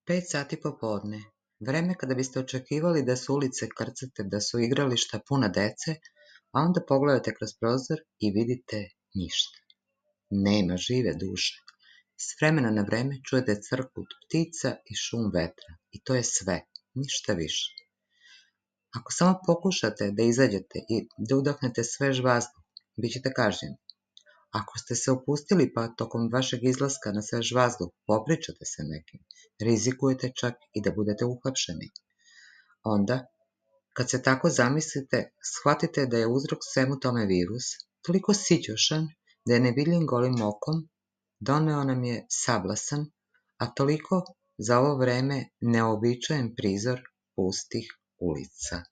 5 sati popodne. Vreme kada biste očekivali da su ulice krcate, da su igrališta puna dece, a onda pogledate kroz prozor i vidite ništa. Nema žive duše. S vremena na vreme čujete crkut ptica i šum vetra. I to je sve, ništa više. Ako samo pokušate da izađete i da udahnete svež vazduh, bit ćete kažnjeni. Ako ste se opustili pa tokom vašeg izlaska na svež vazduh popričate sa nekim, rizikujete čak i da budete uhapšeni. Onda, kad se tako zamislite, shvatite da je uzrok svemu tome virus, toliko sićušan da je nevidljiv golim okom, doneo nam je sablasan, a toliko za ovo vreme neobičajen prizor pustih ulica.